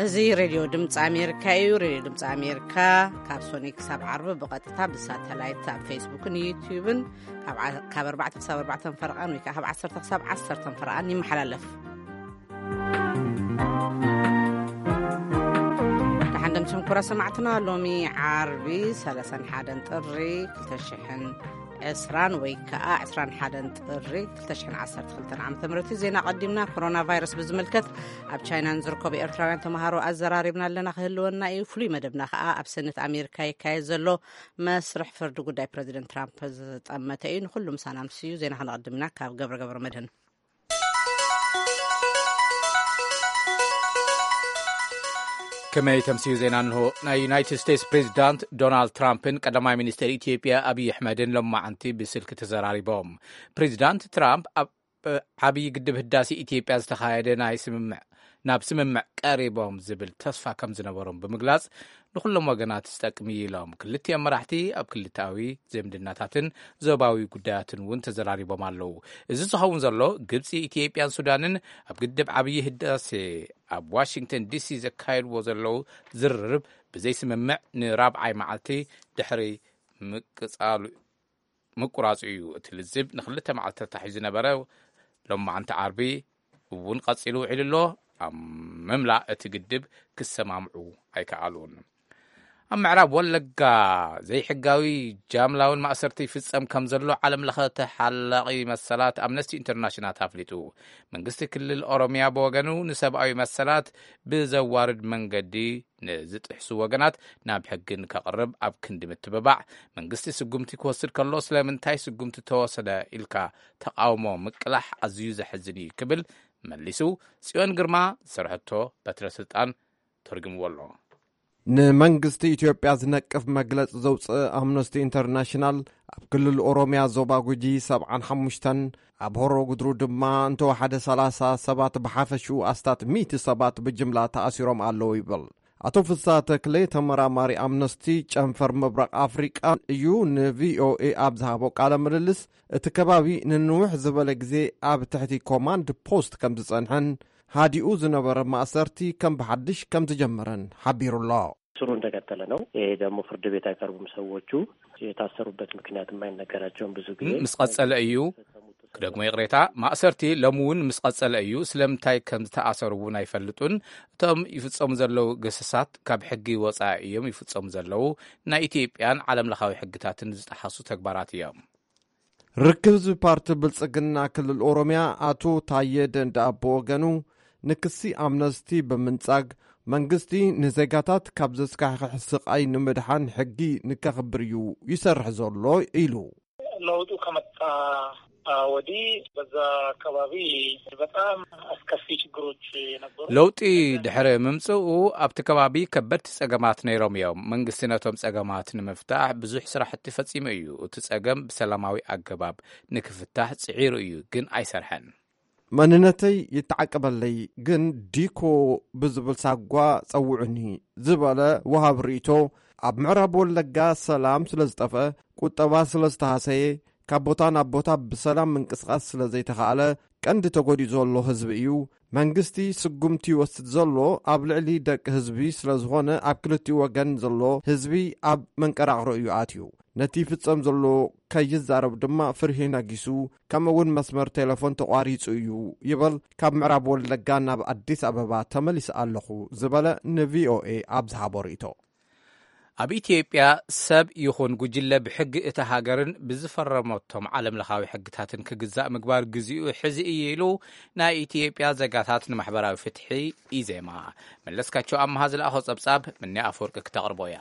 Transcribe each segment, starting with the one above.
እዚ ሬድዮ ድምፂ ኣሜሪካ እዩ። ሬድዮ ድምፂ ኣሜሪካ ካብ ሶኒ ክሳብ ዓርቢ ብቐጥታ ብሳተላይት ኣብ ፌስቡክን ዩትዩብን ካብ ዓ- ካብ ኣርባዕተ ክሳብ ኣርባዕተ ፈረቓን ወይ ከዓ ካብ ዓሰርተ ክሳብ ዓሰርተ ፈረቓን ይመሓላለፍ። ደሓን ደምስም ኩራ ሰማዕትና፣ ሎሚ ዓርቢ ሰላሳን ሓደን ጥሪ ክልተ ሽሕን ዕስራን ወይ ከዓ ዕስራን ሓደን ጥሪ ክልተ ሽሕን ዓሰርተ ክልተን ዓመተ ምህረት እዩ። ዜና ቀዲምና። ኮሮና ቫይረስ ብዝምልከት ኣብ ቻይና ንዝርከቡ ኤርትራውያን ተምሃሮ ኣዘራሪብና ኣለና፣ ክህልወና እዩ። ፍሉይ መደብና ከዓ ኣብ ሰነት ኣሜሪካ ይካየድ ዘሎ መስርሕ ፍርዲ ጉዳይ ፕረዚደንት ትራምፕ ዝጠመተ እዩ። ንኩሉ ምሳና ምስዩ ዜና ክነቐድምና ካብ ገብረ ገብረ መድህን። ከመይ ተምስዩ ዜና እንሆ። ናይ ዩናይትድ ስቴትስ ፕሬዚዳንት ዶናልድ ትራምፕን ቀዳማይ ሚኒስትር ኢትዮጵያ ኣብይ ኣሕመድን ሎማዓንቲ ብስልኪ ተዘራሪቦም። ፕሬዚዳንት ትራምፕ ኣብ ዓብዪ ግድብ ህዳሴ ኢትዮጵያ ዝተኻየደ ናይ ስምምዕ ናብ ስምምዕ ቀሪቦም ዝብል ተስፋ ከም ዝነበሮም ብምግላጽ፣ ንኹሎም ወገናት ዝጠቅም እዩ ኢሎም። ክልቲኦም መራሕቲ ኣብ ክልተኣዊ ዝምድናታትን ዞባዊ ጉዳያትን እውን ተዘራሪቦም ኣለዉ። እዚ ዝኸውን ዘሎ፣ ግብጺ፣ ኢትዮጵያን ሱዳንን ኣብ ግድብ ዓብዪ ህዳሴ ኣብ ዋሽንግተን ዲሲ ዘካየድዎ ዘለዉ ዝርርብ ብዘይ ስምምዕ ንራብዓይ መዓልቲ ድሕሪ ምቅጻሉ ምቁራጹ እዩ። እቲ ልዝብ ንክልተ መዓልቲ ተታሒዙ ዝነበረ ሎማዓንቲ ዓርቢ እውን ቀጺሉ ውዒሉ ኣሎ። ኣብ ምምላእ እቲ ግድብ ክሰማምዑ ኣይከኣሉን። ኣብ ምዕራብ ወለጋ ዘይሕጋዊ ጃምላውን ማእሰርቲ ይፍጸም ከም ዘሎ ዓለም ለኸ ተሓላቒ መሰላት ኣምነስቲ ኢንተርናሽናል ኣፍሊጡ። መንግስቲ ክልል ኦሮሚያ ብወገኑ ንሰብኣዊ መሰላት ብዘዋርድ መንገዲ ንዝጥሕሱ ወገናት ናብ ሕጊ ንከቕርብ ኣብ ክንዲ ምትብባዕ፣ መንግስቲ ስጉምቲ ክወስድ ከሎ ስለምንታይ ስጉምቲ ተወሰደ ኢልካ ተቓውሞ ምቅላሕ ኣዝዩ ዘሕዝን እዩ ክብል መሊሱ። ጽዮን ግርማ ዝሰርሐቶ በትረ ስልጣን ተርጉምዎ ኣሎ። ንመንግስቲ ኢትዮጵያ ዝነቅፍ መግለጺ ዘውፅእ ኣምነስቲ ኢንተርናሽናል፣ ኣብ ክልል ኦሮሚያ ዞባ ጉጂ ሰብዓን ሓሙሽተን፣ ኣብ ሆሮ ጉድሩ ድማ እንተወሓደ ሰላሳ ሰባት፣ ብሓፈሽኡ ኣስታት ሚእቲ ሰባት ብጅምላ ተኣሲሮም ኣለዉ ይብል። ኣቶ ፍስሃ ተክለ፣ ተመራማሪ ኣምነስቲ ጨንፈር ምብራቕ ኣፍሪቃ እዩ፣ ንቪኦኤ ኣብ ዝሃቦ ቃለ ምልልስ፣ እቲ ከባቢ ንንውሕ ዝበለ ግዜ ኣብ ትሕቲ ኮማንድ ፖስት ከም ዝጸንሐን፣ ሃዲኡ ዝነበረ ማእሰርቲ ከም ብሓድሽ ከም ዝጀመረን ሓቢሩ ኣሎ። ስሩ እንደቀጠለ ነው። ይሄ ደግሞ ፍርድ ቤት አይቀርቡም ሰዎቹ። የታሰሩበት ምክንያትም አይነገራቸውም። ብዙ ጊዜ ምስ ቀጸለ እዩ። ክደግሞ ይቕሬታ፣ ማእሰርቲ ሎም እውን ምስ ቀጸለ እዩ። ስለምንታይ ከም ዝተኣሰሩ እውን ኣይፈልጡን። እቶም ይፍጸሙ ዘለዉ ገሰሳት ካብ ሕጊ ወጻኢ እዮም ይፍጸሙ ዘለዉ። ናይ ኢትዮጵያን ዓለም ለኻዊ ሕግታትን ዝጠሓሱ ተግባራት እዮም። ርክብ ህዝቢ ፓርቲ ብልጽግና ክልል ኦሮሚያ ኣቶ ታየ ደንደኣ ብወገኑ፣ ንክሲ ኣምነስቲ ብምንጻግ፣ መንግስቲ ንዜጋታት ካብ ዘስካሕክሕ ስቓይ ንምድሓን ሕጊ ንከኽብር እዩ ይሰርሕ ዘሎ ኢሉ። ለውጡ ከመጣ ወዲህ በዛ አካባቢ በጣም አስከፊ ችግሮች ነበሩ። ለውጢ ድሕሪ ምምጽኡ ኣብቲ ከባቢ ከበድቲ ጸገማት ነይሮም እዮም። መንግስቲ ነቶም ጸገማት ንምፍታሕ ብዙሕ ስራሕቲ ፈጺሙ እዩ። እቲ ጸገም ብሰላማዊ ኣገባብ ንክፍታሕ ጽዒሩ እዩ፣ ግን ኣይሰርሐን። መንነተይ ይተዓቀበለይ፣ ግን ዲኮ ብዝብል ሳጓ ጸውዑኒ ዝበለ ወሃብ ርእይቶ፣ ኣብ ምዕራብ ወለጋ ሰላም ስለ ዝጠፍአ፣ ቁጠባ ስለ ዝተሃሰየ፣ ካብ ቦታ ናብ ቦታ ብሰላም ምንቅስቓስ ስለ ዘይተኻእለ፣ ቀንዲ ተጎዲኡ ዘሎ ህዝቢ እዩ። መንግስቲ ስጉምቲ ይወስድ ዘሎ ኣብ ልዕሊ ደቂ ህዝቢ ስለ ዝኾነ፣ ኣብ ክልቲኡ ወገን ዘሎ ህዝቢ ኣብ መንቀራቕሮ እዩ ኣትዩ። ነቲ ይፍጸም ዘሎ ከይዛረብ ድማ ፍርሂ ነጊሱ፣ ከምኡ እውን መስመር ቴሌፎን ተቋሪጹ እዩ ይብል ካብ ምዕራብ ወለጋ ናብ ኣዲስ ኣበባ ተመሊሰ ኣለኹ ዝበለ ንቪኦኤ ኣብ ዝሃቦ ርእይቶ። ኣብ ኢትዮጵያ ሰብ ይኹን ጉጅለ ብሕጊ እታ ሃገርን ብዝፈረመቶም ዓለም ለኻዊ ሕግታትን ክግዛእ ምግባር ግዚኡ ሕዚ እዩ ኢሉ ናይ ኢትዮጵያ ዜጋታት ንማሕበራዊ ፍትሒ፣ ኢዜማ። መለስካቸው ኣምሃ ዝለኣኾ ጸብጻብ፣ ምኒ ኣፈወርቂ ክተቕርቦ እያ።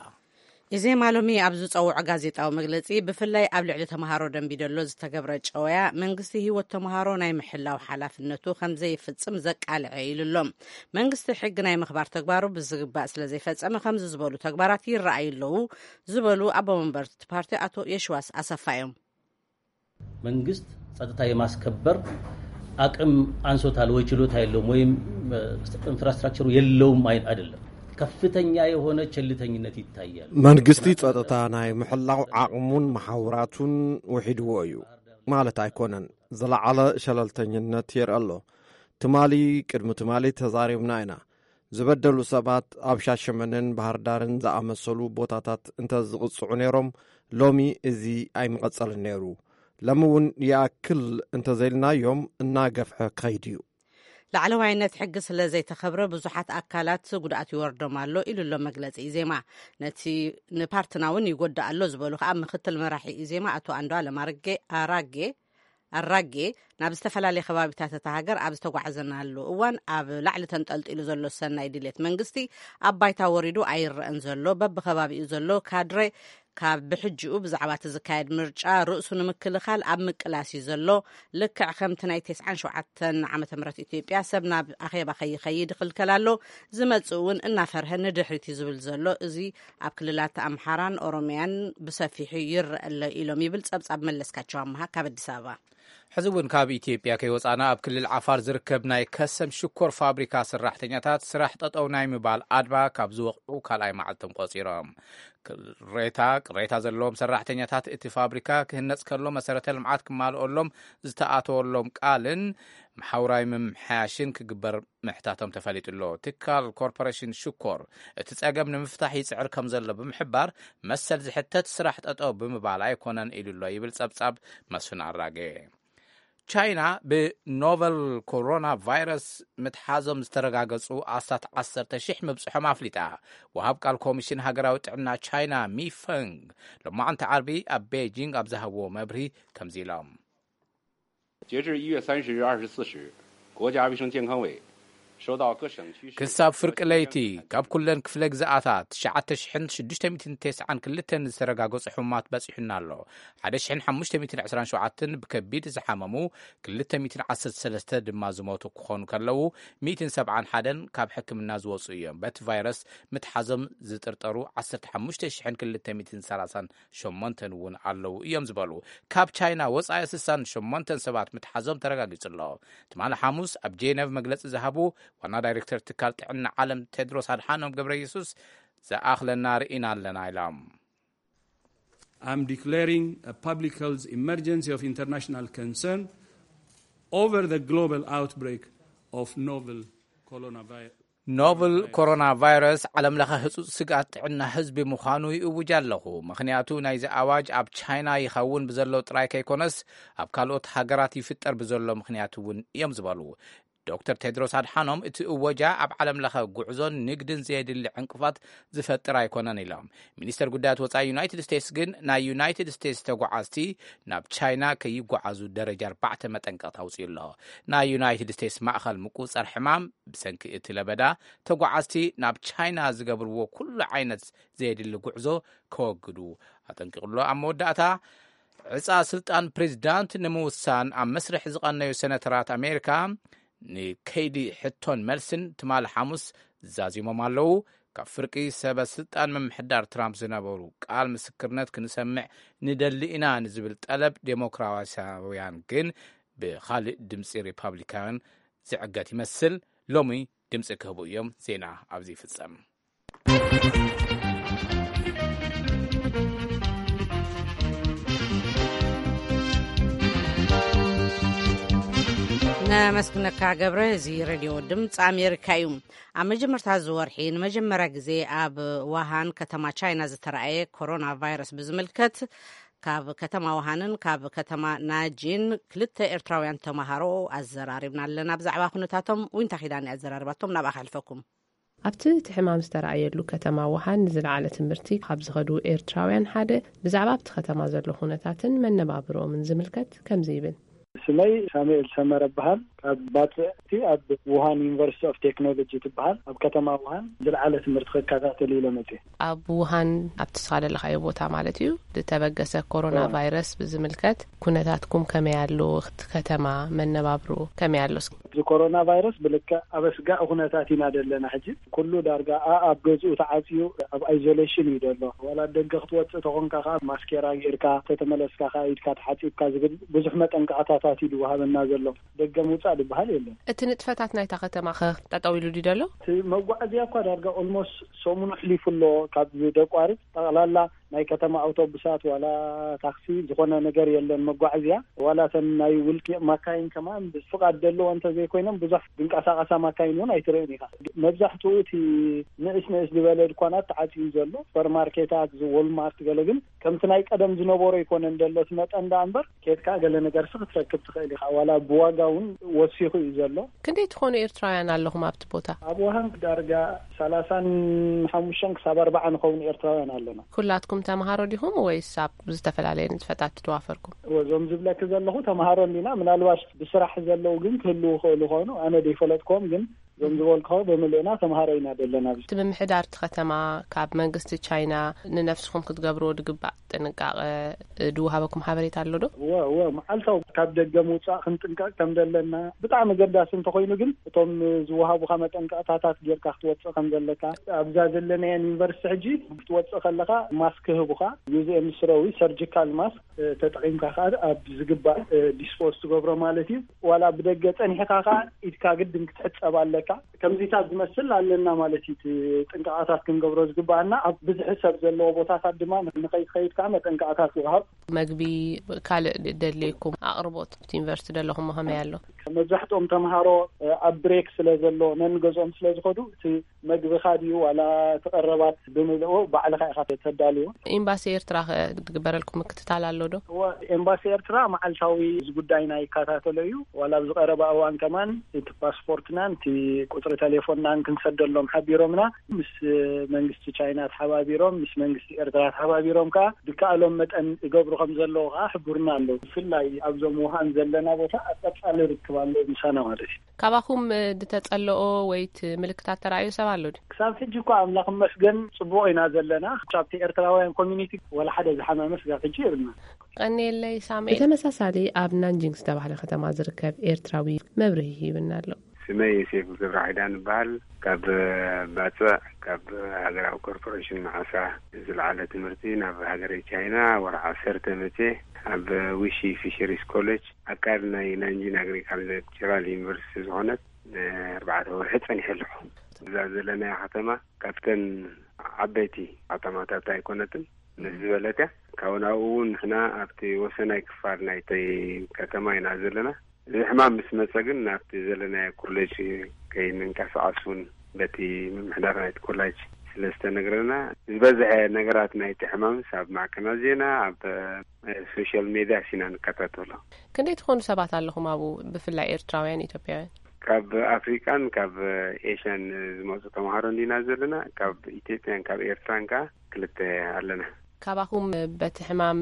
ኢዜማ ሎሚ ኣብ ዝጸውዖ ጋዜጣዊ መግለጺ፣ ብፍላይ ኣብ ልዕሊ ተምሃሮ ደንቢዶሎ ዝተገብረ ጨወያ፣ መንግስቲ ህይወት ተምሃሮ ናይ ምሕላው ሓላፍነቱ ከም ዘይፍጽም ዘቃልዐ ኢሉ ኣሎ። መንግስቲ ሕጊ ናይ ምኽባር ተግባሩ ብዝግባእ ስለ ዘይፈጸመ፣ ከምዚ ዝበሉ ተግባራት ይረኣዩ ኣለዉ ዝበሉ ኣቦ መንበር እቲ ፓርቲ ኣቶ የሽዋስ ኣሰፋ እዮም። መንግስት ጸጥታ የማስከበር አቅም አንሶታል ወይ ችሎታ የለውም ወይም ኢንፍራስትራክቸሩ የለውም አይ- አይደለም። ከፍተኛ የሆነ ቸልተኝነት ይታያል። መንግስቲ ጸጥታ ናይ ምሕላው ዓቕሙን መሓውራቱን ውሒድዎ እዩ ማለት ኣይኮነን። ዝለዓለ ሸለልተኝነት የርኢ ኣሎ። ትማሊ፣ ቅድሚ ትማሊ ተዛሪብና ኢና። ዝበደሉ ሰባት ኣብ ሻሸመነን ባህር ዳርን ዝኣመሰሉ ቦታታት እንተ ዝቕጽዑ ነይሮም፣ ሎሚ እዚ ኣይምቐጸልን ነይሩ። ሎሚ እውን ይኣክል እንተዘይልናዮም እናገፍሐ ክኸይድ እዩ። ላዕለዋይነት ሕጊ ስለ ዘይተኸብረ ብዙሓት ኣካላት ጉድኣት ይወርዶም ኣሎ ኢሉ ኣሎ መግለጺ ኢዜማ። ነቲ ንፓርትና እውን ይጎድእ ኣሎ ዝበሉ ከዓ ምክትል መራሒ ኢዜማ ኣቶ ኣንዱዓለም ኣረጌ ኣራጌ ኣራጌ ናብ ዝተፈላለየ ከባቢታት እታ ሃገር ኣብ ዝተጓዓዘናሉ እዋን ኣብ ላዕሊ ተንጠልጢሉ ዘሎ ሰናይ ድሌት መንግስቲ ኣብ ባይታ ወሪዱ ኣይረአን ዘሎ። በብከባቢኡ ዘሎ ካድረ ካብ ብሕጂኡ ብዛዕባ እቲ ዝካየድ ምርጫ ርእሱ ንምክልኻል ኣብ ምቅላስ እዩ ዘሎ። ልክዕ ከምቲ ናይ ተስዓን ሸውዓተን ዓመተ ምህረት ኢትዮጵያ ሰብ ናብ ኣኼባ ከይኸይድ ይኽልከል ኣሎ። ዝመጽእ እውን እናፈርሀ ንድሕሪት እዩ ዝብል ዘሎ። እዚ ኣብ ክልላት ኣምሓራን ኦሮሚያን ብሰፊሑ ይረአ ኣሎ ኢሎም ይብል ጸብጻብ መለስካቸው ኣምሃ ካብ ኣዲስ ኣበባ። ሕዚ እውን ካብ ኢትዮጵያ ከይወጻና ኣብ ክልል ዓፋር ዝርከብ ናይ ከሰም ሽኮር ፋብሪካ ሰራሕተኛታት ስራሕ ጠጠው ናይ ምባል ኣድማ ካብ ዝወቕዑ ካልኣይ መዓልቶም ቆጺሮም። ቅሬታ ቅሬታ ዘለዎም ሰራሕተኛታት እቲ ፋብሪካ ክህነጽ ከሎ መሰረተ ልምዓት ክማልኦሎም ዝተኣተወሎም ቃልን መሓውራዊ ምምሕያሽን ክግበር ምሕታቶም ተፈሊጡ ኣሎ። ትካል ኮርፖሬሽን ሽኮር እቲ ጸገም ንምፍታሕ ይጽዕር ከም ዘሎ ብምሕባር መሰል ዝሕተት ስራሕ ጠጠው ብምባል ኣይኮነን ኢሉ ኣሎ ይብል ጸብጻብ መስፍን ኣራጌ። ቻይና ብኖቨል ኮሮና ቫይረስ ምትሓዞም ዝተረጋገጹ ኣስታት ዓሰርተ ሺሕ ምብጽሖም ኣፍሊጣ። ወሃብ ቃል ኮሚሽን ሃገራዊ ጥዕና ቻይና ሚፈንግ ሎማዕንቲ ዓርቢ ኣብ ቤጂንግ ኣብ ዝሃብዎ መብርሂ ከምዚ ኢሎም። 截至一月三十日二十四时，国家卫生健康委收到各省区市 ክሳብ ፍርቂ ለይቲ ካብ ኩለን ክፍለ ግዝኣታት ትሽዓተ ሽሕን ሽዱሽተ ሚእትን ተስዓን ክልተን ዝተረጋገጹ ሕሙማት በጺሑና ኣሎ። ሓደ ሽሕን ሓሙሽተ ሚእትን ዕስራን ሸውዓተን ብከቢድ ዝሓመሙ፣ ክልተ ሚእትን ዓሰርተ ሰለስተ ድማ ዝሞቱ ክኾኑ ከለዉ፣ ሚእትን ሰብዓን ሓደን ካብ ሕክምና ዝወጹ እዮም። በቲ ቫይረስ ምትሓዞም ዝጥርጠሩ ዓሰርተ ሓሙሽተ ሽሕን ክልተ ሚእትን ሰላሳን ሸሞንተን እውን ኣለዉ እዮም ዝበሉ። ካብ ቻይና ወጻኢ ስሳን ሸሞንተን ሰባት ምትሓዞም ተረጋጊጹ ኣሎ። ትማሊ ሓሙስ ኣብ ጄነቭ መግለጺ ዝሃቡ ዋና ዳይሬክተር ትካል ጥዕና ዓለም ቴድሮስ ኣድሓኖም ገብረ የሱስ፣ ዝኣኽለና ርኢና ኣለና ኢሎም። I'm declaring a public health emergency of international concern over the global outbreak of novel coronavirus. ኖቨል ኮሮና ቫይረስ ዓለም ለኸ ህጹጽ ስግኣት ጥዕና ህዝቢ ምዃኑ ይእውጅ ኣለኹ። ምኽንያቱ ናይዚ ኣዋጅ ኣብ ቻይና ይኸውን ብዘሎ ጥራይ ከይኮነስ ኣብ ካልኦት ሃገራት ይፍጠር ብዘሎ ምኽንያት እውን እዮም ዝበሉ ዶክተር ቴድሮስ ኣድሓኖም፣ እቲ እወጃ ኣብ ዓለም ለኸ ጉዕዞን ንግድን ዘየድሊ ዕንቅፋት ዝፈጥር ኣይኮነን ኢሎም። ሚኒስተር ጉዳያት ወጻኢ ዩናይትድ ስቴትስ ግን ናይ ዩናይትድ ስቴትስ ተጓዓዝቲ ናብ ቻይና ከይጓዓዙ ደረጃ ኣርባዕተ መጠንቀቕታ ኣውጺኡ ኣሎ። ናይ ዩናይትድ ስቴትስ ማእኸል ምቁጽጻር ሕማም ብሰንኪ እቲ ለበዳ ተጓዓዝቲ ናብ ቻይና ዝገብርዎ ኩሉ ዓይነት ዘየድሊ ጉዕዞ ከወግዱ ኣጠንቂቑ ኣሎ። ኣብ መወዳእታ ዕጻ ስልጣን ፕሬዚዳንት ንምውሳን ኣብ መስርሕ ዝቐነዩ ሰነተራት ኣሜሪካ ንከይዲ ሕቶን መልስን ትማሊ ሓሙስ ዛዚሞም ኣለዉ። ካብ ፍርቂ ሰበ ስልጣን ምምሕዳር ትራምፕ ዝነበሩ ቃል ምስክርነት ክንሰምዕ ንደሊ ኢና ንዝብል ጠለብ ዴሞክራሲያውያን ግን ብኻልእ ድምፂ ሪፓብሊካውያን ዝዕገት ይመስል። ሎሚ ድምፂ ክህቡ እዮም። ዜና ኣብዚ ይፍጸም። ነመስግነካ ገብረ። እዚ ሬድዮ ድምፂ ኣሜሪካ እዩ። ኣብ መጀመርታ እዚ ወርሒ ንመጀመርያ ግዜ ኣብ ዋሃን ከተማ ቻይና ዝተረኣየ ኮሮና ቫይረስ ብዝምልከት ካብ ከተማ ዋሃንን ካብ ከተማ ናጂን ክልተ ኤርትራውያን ተምሃሮ ኣዘራሪብና ኣለና። ብዛዕባ ኩነታቶም ዊንታ ኪዳን ኣዘራርባቶም ናብኣ ከሕልፈኩም። ኣብቲ እቲ ሕማም ዝተረኣየሉ ከተማ ውሃን ንዝለዓለ ትምህርቲ ካብ ዝኸዱ ኤርትራውያን ሓደ ብዛዕባ ኣብቲ ከተማ ዘሎ ኩነታትን መነባብርኦምን ዝምልከት ከምዚ ይብል። ስመይ ሳሙኤል ሰመረ እበሃል። ካብ ባጽዕቲ ኣብ ውሃን ዩኒቨርሲቲ ኦፍ ቴክኖሎጂ ትበሃል ኣብ ከተማ ውሃን ዝለዓለ ትምህርቲ ክከታተል ኢለ መጽየ። ኣብ ውሃን ኣብቲ ስኻ ዘለኻዮ ቦታ ማለት እዩ ዝተበገሰ ኮሮና ቫይረስ ብዝምልከት ኩነታትኩም ከመይ ኣሎ? እቲ ከተማ መነባብሮ ከመይ ኣሎ? እስኪ እዚ ኮሮና ቫይረስ ብልክዕ ኣብ ኣስጋኢ ኩነታት ኢና ዘለና። ሕጂ ኩሉ ዳርጋ ኣብ ገዝኡ ተዓፅዩ ኣብ ኣይዞሌሽን እዩ ዘሎ። ዋላ ደገ ክትወፅእ ተኾንካ ከዓ ማስኬራ ጌርካ፣ ተተመለስካ ከዓ ኢድካ ተሓፂብካ ዝብል ብዙሕ መጠንቀቕታታት እዩ ዝወሃበና ዘሎ። ደገ ምውፃእ ዝበሃል የለን። እቲ ንጥፈታት ናይታ ከተማ ከ ጠጠው ኢሉ ድዩ ዘሎ? እቲ መጓዓዝያ እኳ ዳርጋ ኦልሞስት ሰሙኑ ኣሕሊፉ ኣሎ። ካብ ደቋርፅ ጠቕላላ ናይ ከተማ ኣውቶቡሳት ዋላ ታክሲ ዝኾነ ነገር የለን። መጓዓዝያ ዋላ እተን ናይ ውልቂ ማካይን ከማን ብፍቓድ ዘለዎ እንተ ኮይኖም ብዙሕ ዝንቀሳቐሳ ማካይን እውን ኣይትርእን ኢኻ። መብዛሕትኡ እቲ ንእስ ንእስ ዝበለ ድኳናት ተዓፅዩ ዘሎ፣ ሱፐርማርኬታት፣ እዚ ዎልማርት ገለ ግን ከምቲ ናይ ቀደም ዝነበሮ ኣይኮነን ዘሎ፣ እቲ መጠን ደኣ እምበር ኬድካ ገለ ነገርሲ ክትረክብ ትኽእል ኢኻ። ዋላ ብዋጋ እውን ወሲኹ እዩ ዘሎ። ክንደይ ትኾኑ ኤርትራውያን ኣለኹም ኣብቲ ቦታ? ኣብ ውሃን ዳርጋ ሰላሳን ሓሙሽተን ክሳብ ኣርባዓ ንኸውን ኤርትራውያን ኣለና። ኩላትኩም ተምሃሮ ዲኹም ወይስ ኣብ ዝተፈላለየ ንጥፈታት ትዋፈርኩም? እዞም ዝብለኪ ዘለኹ ተምሃሮ እንዲና፣ ምናልባሽ ብስራሕ ዘለዉ ግን ክህልዉ ይኽእሉ ኾኑ፣ ኣነ ደይፈለጥክዎም፣ ግን እዞም ዝበልክዎ ብምልእና ተምሃሮ ኢና ዘለና። ኣብዚ እቲ ምምሕዳር እቲ ከተማ ካብ መንግስቲ ቻይና ንነፍስኹም ክትገብርዎ ድግባእ ጥንቃቐ ድወሃበኩም ሓበሬታ ኣሎ ዶ? እወ፣ እወ፣ መዓልታዊ ካብ ደገ ምውፃእ ክንጥንቀቕ ከም ዘለና፣ ብጣዕሚ ገዳሲ እንተኾይኑ ግን እቶም ዝወሃቡኻ መጠንቀቕታታት ጌርካ ክትወፅእ ከም ዘለካ፣ ኣብዛ ዘለናየን ዩኒቨርሲቲ ሕጂ ክትወፅእ ከለኻ ማስክ ክህቡኻ፣ ዩዝ ኤንድ ስሮዊ ሰርጂካል ማስክ ተጠቒምካ ከዓ ኣብ ዝግባእ ዲስፖዝ ትገብሮ ማለት እዩ። ዋላ ብደገ ፀኒሕካ ከዓ ኢድካ ግድን ክትሕፀብ ኣለካ። ከምዚታት ዝመስል ኣለና ማለት እዩ። እቲ ጥንቃቐታት ክንገብሮ ዝግባኣና ኣብ ብዝሒ ሰብ ዘለዎ ቦታታት ድማ ንኸይትኸይድ ከዓ መጠንቀቕታት ይወሃብ። መግቢ፣ ካልእ ደድልየኩም ኣቕርቦት ኣብቲ ዩኒቨርሲቲ ዘለኹም ከመይ ኣሎ? መብዛሕትኦም ተምሃሮ ኣብ ብሬክ ስለ ዘሎ ነንገዝኦም ስለ ዝኸዱ እቲ መግብኻ ድዩ ዋላ እቲ ቀረባት ብምልኡ ባዕልኻ ኢኻ ተዳልዎ። ኤምባሲ ኤርትራ ከ ዝግበረልኩም ምክትታል ኣሎ ዶ? እወ፣ ኤምባሲ ኤርትራ መዓልታዊ እዚ ጉዳይና ይከታተሎ እዩ። ዋላ ኣብዚ ቀረባ እዋን ከማን እቲ ፓስፖርትናን እቲ ቁፅሪ ቴሌፎንናን ክንሰደሎም ሓቢሮምና፣ ምስ መንግስቲ ቻይና ተሓባቢሮም፣ ምስ መንግስቲ ኤርትራ ተሓባቢሮም ከዓ ድከኣሎም መጠን ይገብሩ ከም ዘለዉ ከዓ ሕቡርና ኣለዉ። ብፍላይ ኣብዞም ውሃን ዘለና ቦታ ኣብ ቀፃሊ ርክብ ኣሎ ምሳና ማለት እዩ። ካባኹም ድተጸለኦ ወይ እቲ ምልክታት ተራእዮ ሰብ ኣሎ ድዩ? ክሳብ ሕጂ እኳ ኣምላኽ ይመስገን ጽቡቕ ኢና ዘለና። ካብቲ ኤርትራውያን ኮሚኒቲ ወላ ሓደ ዝሓመመ ስጋብ ሕጂ የብልና። ቀንየለይ ሳሙኤል። ብተመሳሳሊ ኣብ ናንጂንግ ዝተባህለ ከተማ ዝርከብ ኤርትራዊ መብርሂ ሂብና ኣሎ። ስመይ ዮሴፍ ገብረኺዳን እበሃል። ካብ ባጽዕ፣ ካብ ሃገራዊ ኮርፖሬሽን መዓሳ ዝለዓለ ትምህርቲ ናብ ሃገረ ቻይና ወርሒ ዓሰርተ መጽየ ኣብ ዊሺ ፊሸሪስ ኮሌጅ ኣካል ናይ ናንጂን ኣግሪካልቸራል ዩኒቨርሲቲ ዝኾነት ንኣርባዕተ ወርሒ ጸኒሐ ኣለኹ። እዛ ዘለናያ ከተማ ካብተን ዓበይቲ ከተማታት ኣይኮነትን፣ ምስ ዝበለት እያ። ካብኡ ናብኡ እውን ንሕና ኣብቲ ወሰናይ ክፋል ናይቲ ከተማ ኢና ዘለና። እዚ ሕማም ምስ መጸ ግን ናብቲ ዘለናዮ ኮሌጅ ከይንንቀሳቐስ እውን በቲ ምምሕዳር ናይቲ ኮሌጅ ስለ ዝተነግረና፣ ዝበዝሐ ነገራት ናይቲ ሕማምስ ኣብ ማዕከናት ዜና፣ ኣብ ሶሻል ሜድያ ሲና ንከታተሎ። ክንደይ ትኾኑ ሰባት ኣለኹም ኣብኡ፣ ብፍላይ ኤርትራውያን፣ ኢትዮጵያውያን? ካብ ኣፍሪቃን ካብ ኤሽያን ዝመጹ ተምሃሮ እንዲና ዘለና። ካብ ኢትዮጵያን ካብ ኤርትራን ከኣ ክልተ ኣለና። ካባኹም በቲ ሕማም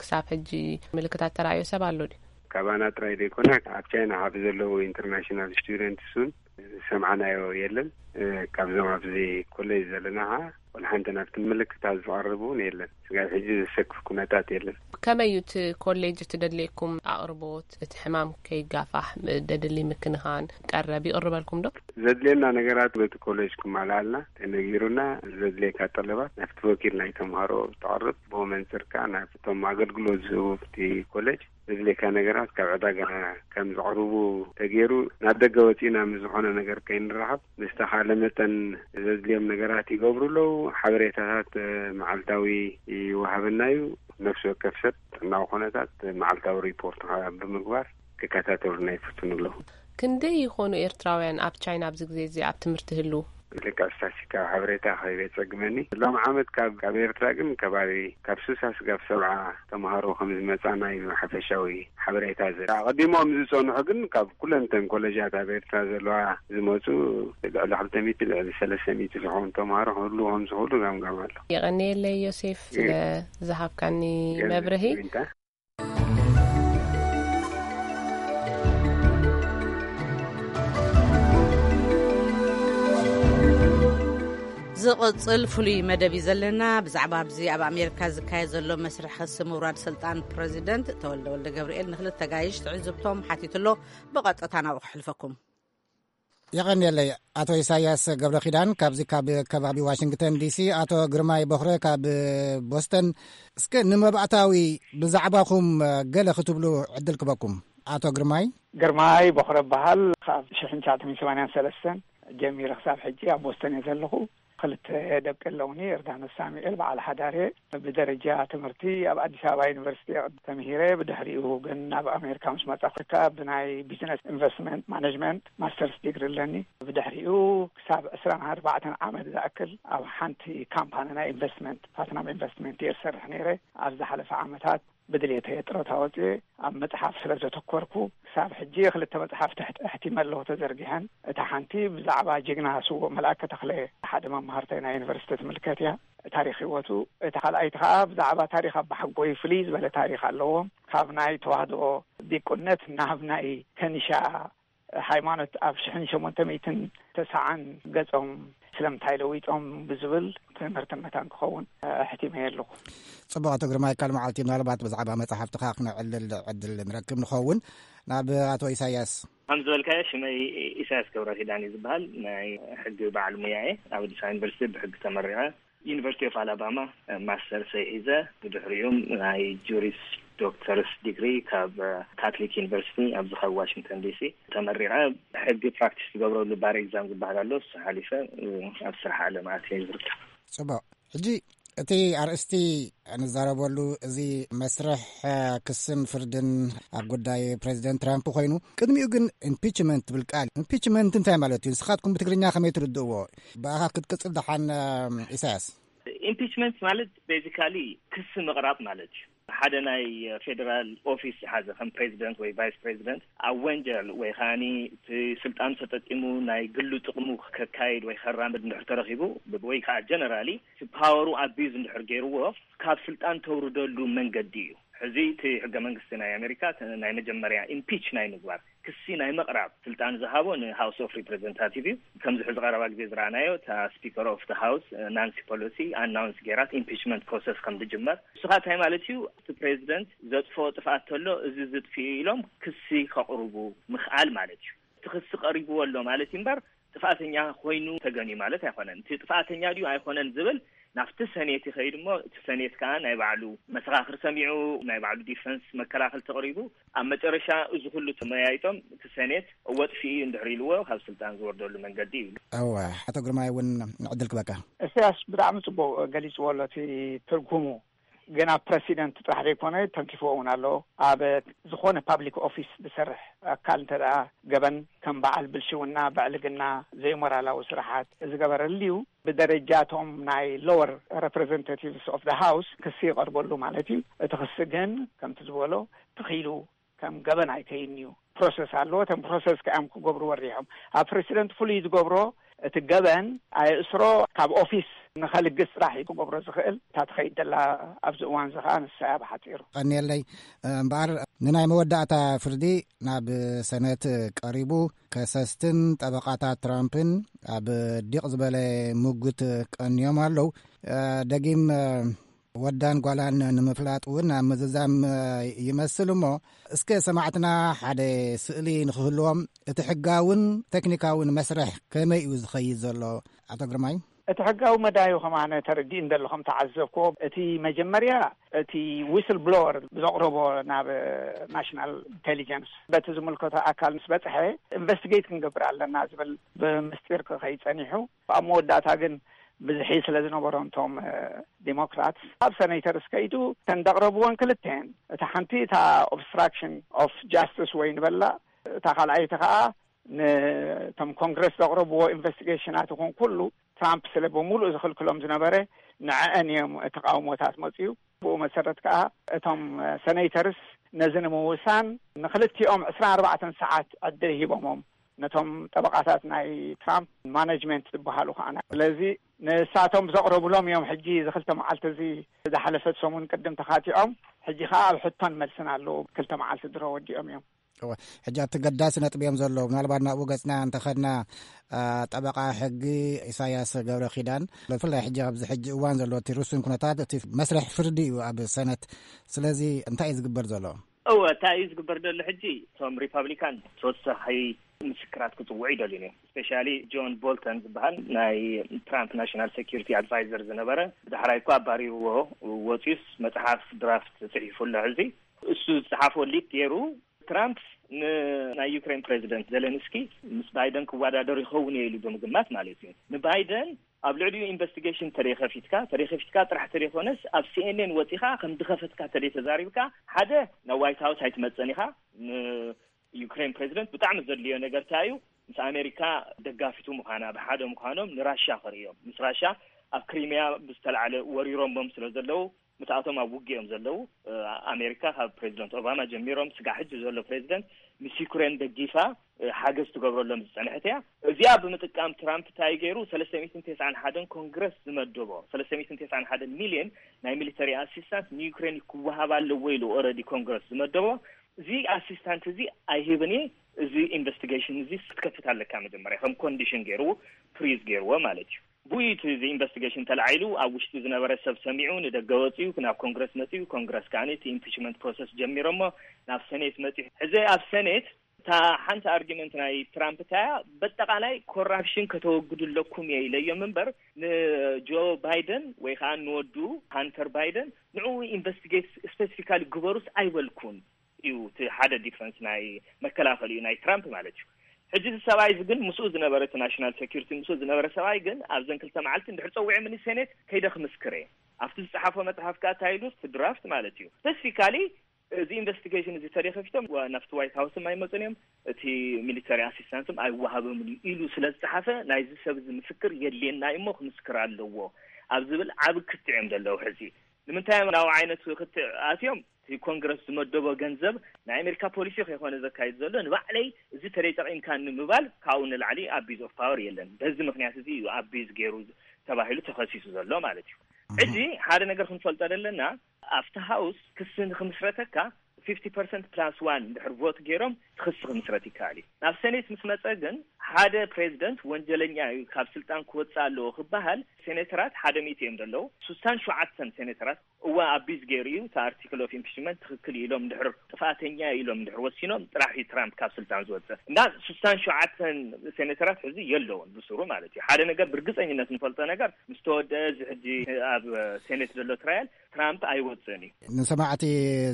ክሳብ ሕጂ ምልክታት ተራእዮ ሰብ ኣሎ ድዩ? ካባና ጥራይ ዘይኮነ፣ ኣብ ቻይና ካብ ዘለዉ ኢንተርናሽናል ስቱደንትስ እውን ዝሰምዓናዮ የለን። እ፣ ካብዞም ኣብዚ ኮሌጅ ዘለና ኸዓ ወላ ሓንቲ ናብቲ ምልክታት ዝቐርብ እውን የለን። ስጋብ ሕጂ ዘሰክፍ ኩነታት የለን። ከመይ እዩ እቲ ኮሌጅ እቲ ደድልየኩም ኣቕርቦት፣ እቲ ሕማም ከይጋፋሕ ደድሊ ምክንኻን ቀረብ ይቕርበልኩም ዶ? ዘድልየና ነገራት በቲ ኮሌጅ ክማልኣልና ተነጊሩና፣ ዘድልየካ ጠለባት ናብቲ ወኪል ናይ ተምሃሮ ተቕርብ፣ ብኡ መንፅር ከዓ ናብቶም ኣገልግሎት ዝህቡ ኣብቲ ኮሌጅ ዘድልየካ ነገራት ካብ ዕዳጋ ከም ዘቕርቡ ተገይሩ፣ ናብ ደገ ወፂእና ምስ ዝኾነ ነገር ከይንራኸብ ብዝተኻለ መጠን ዘድልዮም ነገራት ይገብሩ ኣለዉ። ሓበሬታታት መዓልታዊ ይወሃበና እዩ። ነፍሲ ወከፍ ሰብ ጥዕናዊ ኩነታት መዓልታዊ ሪፖርት ከዓ ብምግባር ክከታተሉና ይፍትኑ ኣለዉ። ክንደይ ይኾኑ ኤርትራውያን ኣብ ቻይና ኣብዚ ግዜ እዚ ኣብ ትምህርቲ ህልዉ? ልክዕ ስታስቲካዊ ሓበሬታ ክህብ የጸግመኒ። ሎም ዓመት ካብ፣ ካብ ኤርትራ ግን ከባቢ ካብ ስሳ ስጋብ ሰብዓ ተምሃሮ ከም ዝመጻና እዩ ሓፈሻዊ ሓበሬታ ዘ-፣ ኣቐዲሞም ዝጸንሑ ግን ካብ ኩለን እተን ኮለጃት ኣብ ኤርትራ ዘለዋ ዝመጹ ልዕሊ ክልተ ሚእቲ፣ ልዕሊ ሰለስተ ሚእቲ ዝኾኑ ተምሃሮ ክህልዉ ከም ዝኽእሉ ገምጋም ኣሎ። የቐንየለይ ዮሴፍ ስለ ዝሃብካኒ መብርሂ። ዊንታ። ዝቕጽል ፍሉይ መደብ እዩ ዘለና። ብዛዕባ ኣብዚ ኣብ ኣሜሪካ ዝካየድ ዘሎ መስርሕ ክሲ ምውራድ ስልጣን ፕረዚደንት ተወልደ ወልደ ገብርኤል ንክልተ ጋይሽ ትዕዝብቶም ሓቲቱ ኣሎ። ብቐጥታ ናብኡ ክሕልፈኩም። የቐንየለይ ኣቶ ኢሳያስ ገብረ ኪዳን ካብዚ ካብ ከባቢ ዋሽንግተን ዲሲ፣ ኣቶ ግርማይ ቦኽረ ካብ ቦስተን። እስከ ንመባእታዊ ብዛዕባኹም ገለ ክትብሉ ዕድል ክበኩም። ኣቶ ግርማይ። ግርማይ ቦኽረ እበሃል። ካብ ሽሕን ትሽዓተ ሚእትን ሰማንያን ሰለስተን ጀሚረ ክሳብ ሕጂ ኣብ ቦስተን እየ ዘለኹ። ክልተ ደቂ ኣለውኒ። እርዳነ ሳሙኤል በዓል ሓዳር እየ። ብደረጃ ትምህርቲ ኣብ ኣዲስ ኣበባ ዩኒቨርሲቲ ተምሂረ። ብድሕሪኡ ግን ናብ ኣሜሪካ ምስ መጻኹ ከኣ ብናይ ቢዝነስ ኢንቨስትመንት ማኔጅመንት ማስተርስ ዲግሪ ኣለኒ። ብድሕሪኡ ክሳብ ዕስራን ኣርባዕተን ዓመት ዝኣክል ኣብ ሓንቲ ካምፓኒ ናይ ኢንቨስትመንት፣ ፓትናም ኢንቨስትመንት እየ ዝሰርሕ ነይረ። ኣብ ዝሓለፈ ዓመታት ብድሌተይ ጥሮታ ወፅየ ኣብ መፅሓፍ ስለ ዘተኮርኩ፣ ክሳብ ሕጂ ክልተ መፅሓፍቲ ኣሕት-፣ ኣሕቲመ ኣለኹ ተዘርጊሐን። እታ ሓንቲ ብዛዕባ ጅግና ስዉእ መልኣከ ተኽለ፣ ሓደ መማህርተይ ናይ ዩኒቨርሲቲ ትምልከት እያ፣ ታሪኽ ህይወቱ። እታ ካልኣይቲ ከዓ ብዛዕባ ታሪኽ ኣባሓጎይ ፍልይ ዝበለ ታሪኽ ኣለዎም። ካብ ናይ ተዋህዶ ዲቁነት ናብ ናይ ከኒሻ ሃይማኖት ኣብ ሽሕን ሸሞንተ ሚእትን ተስዓን ገጾም ስለምንታይ ለዊጦም ብዝብል ትምህርትን መታን ክኸውን ኣሕቲመ ኣለኹ። ጽቡቕ ኣቶ ግርማይ፣ ካልእ መዓልቲ ምናልባት ብዛዕባ መጽሓፍትኻ ክነዕልል ዕድል ንረክብ ንኸውን። ናብ ኣቶ ኢሳያስ። ከም ዝበልካዮ ሽመይ ኢሳያስ ገብረ ኪዳን እዩ ዝበሃል። ናይ ሕጊ በዓል ሙያ እየ። ኣብ ኣዲስ ኣበባ ዩኒቨርሲቲ ብሕጊ ተመሪቐ። ዩኒቨርሲቲ ኦፍ ኣላባማ ማስተርስ ሒዘ፣ ብድሕሪኡ ናይ ጁሪስ ዶክተርስ ዲግሪ ካብ ካትሊክ ዩኒቨርሲቲ ኣብዚ ካብ ዋሽንግተን ዲሲ ተመሪቐ። ሕጊ ፕራክቲስ ዝገብረሉ ባር ኤግዛም ዝበሃል ኣሎ፣ እሱ ሓሊፈ ኣብ ስራሕ ዓለም ኣትየ ዝርከብ። ጽቡቕ። ሕጂ እቲ ኣርእስቲ ንዛረበሉ እዚ መስርሕ ክስን ፍርድን ኣብ ጉዳይ ፕሬዚደንት ትራምፕ ኮይኑ፣ ቅድሚኡ ግን ኢምፒችመንት ትብል ቃል፣ ኢምፒችመንት እንታይ ማለት እዩ? ንስኻትኩም ብትግርኛ ከመይ ትርድእዎ? ብኣኻ ክትቅጽል ደሓን፣ ኢሳያስ። ኢምፒችመንት ማለት ቤዚካሊ ክሲ ምቕራብ ማለት እዩ። ሓደ ናይ ፌደራል ኦፊስ ዝሓዘ ከም ፕሬዚደንት ወይ ቫይስ ፕሬዚደንት ኣብ ወንጀል ወይ ከዓኒ እቲ ስልጣን ተጠቂሙ ናይ ግሉ ጥቕሙ ከካይድ ወይ ከራምድ እንድሕር ተረኺቡ ወይ ከዓ ጀነራሊ እቲ ፓወሩ ኣቢዩዝ እንድሕር ገይርዎ ካብ ስልጣን ተውርደሉ መንገዲ እዩ። ሕዚ እቲ ሕገ መንግስቲ ናይ ኣሜሪካ ናይ መጀመርያ ኢምፒች ናይ ምግባር ክሲ ናይ ምቕራብ ስልጣን ዝሃቦ ንሃውስ ኦፍ ሪፕሬዘንታቲቭ እዩ። ከምዚ ሕዚ ቀረባ ግዜ ዝረኣናዮ እታ ስፒከር ኦፍ ተ ሃውስ ናንሲ ፖሎሲ ኣናውንስ ገይራት ኢምፒችመንት ፕሮሰስ ከም ዝጅመር። እሱ ኸዓ እንታይ ማለት እዩ? እቲ ፕሬዚደንት ዘጥፍኦ ጥፍኣት ተሎ እዚ ዝጥፍኡ ኢሎም ክሲ ከቕርቡ ምኽኣል ማለት እዩ። እቲ ክሲ ቀሪብዎ ኣሎ ማለት እዩ እምበር ጥፍኣተኛ ኮይኑ ተገንዩ ማለት ኣይኮነን። እቲ ጥፍኣተኛ ድዩ ኣይኮነን ዝብል ናብቲ ሰኔት ይኸይድ እሞ እቲ ሰኔት ከዓ ናይ ባዕሉ መሰኻኽር ሰሚዑ ናይ ባዕሉ ዲፈንስ መከላኸል ተቕሪቡ ኣብ መጨረሻ እዚ ኩሉ ተመያይጦም እቲ ሰኔት እወ ጥፍኡ እዩ እንድሕር ኢልዎ ካብ ስልጣን ዝወርደሉ መንገዲ እዩ። እወ፣ ኣቶ ግርማይ እውን ዕድል ክበካ። እስያስ ብጣዕሚ ጽቡቕ ገሊጽዎ ኣሎ እቲ ትርጉሙ። ግን ኣብ ፕረሲደንት ጥራሕ ዘይኮነ ተንኪፍዎ እውን ኣሎ። ኣብ ዝኾነ ፓብሊክ ኦፊስ ዝሰርሕ ኣካል እንተ ደኣ ገበን ከም በዓል ብልሽውና፣ ብዕልግና፣ ዘይሞራላዊ ስራሓት ዝገበረ ልዩ ብደረጃቶም ናይ ሎወር ሬፕሬዘንታቲቭስ ኦፍ ዘ ሃውስ ክሲ ይቐርበሉ ማለት እዩ። እቲ ክሲ ግን ከምቲ ዝበሎ ትኺሉ ከም ገበን ኣይከይን እዩ። ፕሮሰስ ኣለዎ። እቶም ፕሮሰስ ከኣም ክገብሩ ወሪሖም ኣብ ፕረሲደንት ፍሉይ ዝገብሮ እቲ ገበን ኣየእስሮ ካብ ኦፊስ ንኸልግስ ጥራሕ እዩ ክገብሮ ዝኽእል። እታ ትኸይድ ዘላ ኣብዚ እዋን እዚ ኸዓ ንሳ እያ ብሓፂሩ። ቀኒየለይ። እምበኣር ንናይ መወዳእታ ፍርዲ ናብ ሰነት ቀሪቡ ከሰስትን ጠበቓታት ትራምፕን ኣብ ዲቕ ዝበለ ምጉት ቀንዮም ኣለዉ። ደጊም ወዳን ጓላን ንምፍላጥ እውን ኣብ ምዝዛም ይመስል እሞ እስከ ሰማዕትና ሓደ ስእሊ ንኽህልዎም እቲ ሕጋውን ቴክኒካውን መስርሕ ከመይ እዩ ዝኸይድ ዘሎ? ኣቶ ግርማይ። እቲ ሕጋዊ መዳዩ ከማነ ተረዲእኒ ዘለኹም ተዓዘብኩዎ። እቲ መጀመርያ እቲ ዊስል ብሎወር ዘቕረቦ ናብ ናሽናል ኢንቴሊጀንስ በቲ ዝምልከቶ ኣካል ምስ በፅሐ ኢንቨስቲጌት ክንገብር ኣለና ዝብል ብምስጢር ክኸይድ ፀኒሑ ኣብ መወዳእታ ግን ብዝሒ ስለ ዝነበሮም እቶም ዲሞክራት ኣብ ሰነይተርስ ከይዱ እተን ዘቕረብወን ክልተን እታ ሓንቲ እታ ኦብስትራክሽን ኦፍ ጃስቲስ ወይ ንበላ እታ ካልኣይቲ ከዓ ነቶም ኮንግረስ ዘቕረብዎ ኢንቨስቲጌሽናት ይኹን ኩሉ ትራምፕ ስለ ብምሉእ ዝኽልክሎም ዝነበረ ንዐአን እዮም ተቃውሞታት መፅዩ። ብኡ መሰረት ከዓ እቶም ሰነይተርስ ነዚ ንምውሳን ንክልቲኦም ዕስራን ኣርባዕተን ሰዓት ዕድል ሂቦሞም ነቶም ጠበቃታት ናይ ትራምፕ ማነጅመንት ዝበሃሉ ከዓና ስለዚ ንሳቶም ዘቕረቡሎም እዮም ሕጂ እዚ ክልተ መዓልቲ እዚ ዝሓለፈት ሰሙን ቅድም ተኻቲዖም ሕጂ ከዓ ኣብ ሕቶን መልስን ኣለዉ ክልተ መዓልቲ ድሮ ወዲኦም እዮም። ሕጂ ኣብቲ ገዳሲ ነጥቢ እዮም ዘለዉ ምናልባት ናብኡ ገፅና እንተኸድና ጠበቃ ሕጊ ኢሳያስ ገብረ ኪዳን ብፍላይ ሕጂ ኣብዚ ሕጂ እዋን ዘሎ እቲ ርሱን ኩነታት እቲ መስርሕ ፍርዲ እዩ ኣብ ሰነት ስለዚ እንታይ እዩ ዝግበር ዘሎ? እወ እንታይ እዩ ዝግበር ዘሎ ሕጂ እቶም ሪፓብሊካን ተወሳኺ ምስክራት ክፅውዑ ይደልዩ እዮም። ስፔሻሊ ጆን ቦልተን ዝበሃል ናይ ትራምፕ ናሽናል ሴኪሪቲ ኣድቫይዘር ዝነበረ ብዳሕራይ እኳ ኣባሪርዎ ወፂኡስ መፅሓፍ ድራፍት ፅሒፉ ኣሎ ሕዚ እሱ ዝፀሓፎ ሊክ ገይሩ ትራምፕ ንናይ ዩክሬን ፕሬዚደንት ዜሌንስኪ ምስ ባይደን ክወዳደሩ ይኸውን እየ ኢሉ ብምግማት ማለት እዩ ንባይደን ኣብ ልዕሊኡ ኢንቨስቲጌሽን ተደይ ከፊትካ፣ ተደይ ከፊትካ ጥራሕ ተደይ ኮነስ፣ ኣብ ሲ ኤን ኤን ወጺኻ ከም ድኸፈትካ ተደይ ተዛሪብካ፣ ሓደ ናብ ዋይት ሃውስ ኣይትመጽእን ኢኻ። ንዩክሬን ፕሬዚደንት ብጣዕሚ ዘድልዮ ነገር እንታይ እዩ? ምስ ኣሜሪካ ደጋፊቱ ምዃና፣ ብሓደ ምዃኖም ንራሻ ከርእዮም። ምስ ራሻ ኣብ ክሪሚያ ብዝተላዕለ ወሪሮሞም ስለ ዘለዉ፣ ምትኣቶም ኣብ ውግኦም ዘለዉ፣ እ፣ ኣሜሪካ ካብ ፕሬዚደንት ኦባማ ጀሚሮም ስጋዕ ሕጂ ዘሎ ፕሬዚደንት ምስ ዩክሬን ደጊፋ፣ እ፣ ሓገዝ ትገብረሎም ዝጸንሐት እያ። እዚኣ ብምጥቃም ትራምፕ እንታይ ገይሩ? ሰለስተ ሚእትን ተስዓን ሓደን ኮንግረስ ዝመደቦ፣ ሰለስተ ሚእትን ተስዓን ሓደን ሚልዮን ናይ ሚሊተሪ ኣሲስታንስ ንዩክሬን ክወሃብ ኣለዎ ኢሉ ኦረዲ ኮንግረስ ዝመደቦ፣ እዚ ኣሲስታንት እዚ ኣይህብን እየ፣ እዚ ኢንቨስቲጌሽን እዚ ክትከፍት ኣለካ መጀመርያ፣ ከም ኮንዲሽን ገይርዎ፣ ፍሪዝ ገይርዎ ማለት እዩ። ብኡ እቲ እዚ ኢንቨስቲጌሽን ተላዒሉ፣ ኣብ ውሽጢ ዝነበረ ሰብ ሰሚዑ፣ ንደገ ወፂኡ፣ ናብ ኮንግረስ መፂኡ፣ ኮንግረስ ከዓኒ እቲ ኢምፒችመንት ፕሮሰስ ጀሚሮሞ ናብ ሰኔት መፂኡ። ሕዚ ኣብ ሰኔት እታ ሓንቲ ኣርጊመንት ናይ ትራምፕ እንታይ እያ? በጠቓላይ ኮራፕሽን ከተወግዱ ኣለኩም እየ ኢለዮም እምበር፣ ንጆ ባይደን ወይ ከዓ ንወዱ ሃንተር ባይደን ንዕኡ ኢንቨስቲጌት ስፔሲፊካሊ ግበሩስ ኣይበልኩን እዩ። እቲ ሓደ ዲፈንስ ናይ መከላኸሊኡ ናይ ትራምፕ ማለት እዩ። ሕጂ እዚ ሰብኣይ እዚ ግን ምስኡ ዝነበረ፣ እቲ ናሽናል ሴኩሪቲ ምስኡ ዝነበረ ሰብኣይ ግን ኣብዘን ክልተ መዓልቲ እንድሕር ፀዊዖምኒ ሴኔት ከይደ ክምስክር እየ። ኣብቲ ዝፀሓፎ መፅሓፍ ከኣ እንታይ ኢሉ፣ እቲ ድራፍት ማለት እዩ፣ ስፔሲፊካሊ እዚ ኢንቨስቲጌሽን እዚ ተደይ ከፊቶም ዋ-፣ ናብቲ ዋይት ሃውስም ኣይመፁን እዮም፣ እቲ ሚሊተሪ ኣሲስታንስም ኣይወሃበምን እዩ ኢሉ ስለ ዝፀሓፈ፣ ናይዚ ሰብ እዚ ምስክር የድልየና እዩ እሞ ክምስክር ኣለዎ ኣብ ዝብል ዓቢ ክትዕ እዮም ዘለዉ። ሕዚ ንምንታይ እዮም ናብ ዓይነት ክትዕ ኣትዮም? እቲ ኮንግረስ ዝመደቦ ገንዘብ ናይ ኣሜሪካ ፖሊሲ ከይኮነ ዘካይድ ዘሎ፣ ንባዕለይ እዚ ተደይ ጠቒምካኒ ምባል ካብኡ ንላዕሊ ኣቢዝ ኦፍ ፓወር የለን። በዚ ምክንያት እዚ እዩ ኣቢዝ ገይሩ ተባሂሉ ተኸሲሱ ዘሎ ማለት እዩ። ሕጂ ሓደ ነገር ክንፈልጦ ዘለና፣ ኣብቲ ሃውስ ክሲ ንክምስረተካ ፊፍቲ ፐርሰንት ፕላስ ዋን እንድሕር ቮት ገይሮም ክሲ ክምስረት ይከኣል እዩ። ናብ ሴኔት ምስ መጸ ግን ሓደ ፕሬዚደንት ወንጀለኛ እዩ፣ ካብ ስልጣን ክወጽእ ኣለዎ ክበሃል፣ ሴኔተራት ሓደ ሚእቲ እዮም ዘለዉ። ስሳን ሸውዓተን ሴኔተራት እዋ ኣቢዝ ገይሩ እዩ፣ እቲ ኣርቲክል ኦፍ ኢምፒችመንት ትኽክል እዩ ኢሎም እንድሕር፣ ጥፍኣተኛ እዩ ኢሎም እንድሕር ወሲኖም ጥራሕ እዩ ትራምፕ ካብ ስልጣን ዝወጽእ። እና ስሳን ሸውዓተን ሴኔተራት ሕዚ የለውን ብስሩ ማለት እዩ። ሓደ ነገር ብርግጸኝነት ንፈልጦ ነገር፣ ምስ ተወደአ እዚ ሕጂ ኣብ ሴኔት ዘሎ ትራያል ትራምፕ ኣይወጽእን እዩ። ንሰማዕቲ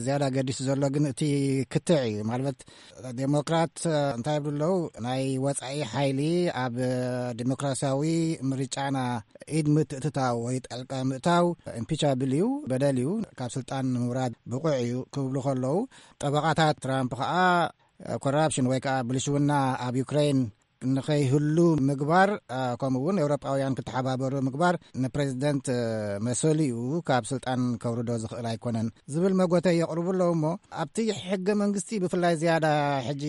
ዝያዳ ገዲሱ ዘሎ ግን እቲ ክትዕ እዩ። ማለት ዴሞክራት እንታይ ይብሉ ኣለዉ? ናይ ወጻኢ ሓይሊ ኣብ ዴሞክራሲያዊ ምርጫና ኢድ ምትእትታው ወይ ጣልቃ ምእታው ኢምፒቻብል እዩ፣ በደል እዩ፣ ካብ ስልጣን ንምውራድ ብቑዕ እዩ ክብሉ ከለዉ፣ ጠበቓታት ትራምፕ ከኣ ኮራፕሽን ወይ ከኣ ብልሽውና ኣብ ዩክሬን ንኸይህሉ ምግባር፣ አ፣ ከምኡ እውን ኤውሮጳውያን ክተሓባበሩ ምግባር ንፕሬዚደንት፣ እ፣ መሰሉ እዩ፣ ካብ ስልጣን ከውርዶ ዝኽእል ኣይኮነን ዝብል መጎተ የቕርቡ ኣለዉ። እሞ ኣብቲ ሕገ መንግስቲ ብፍላይ ዝያዳ ሕጂ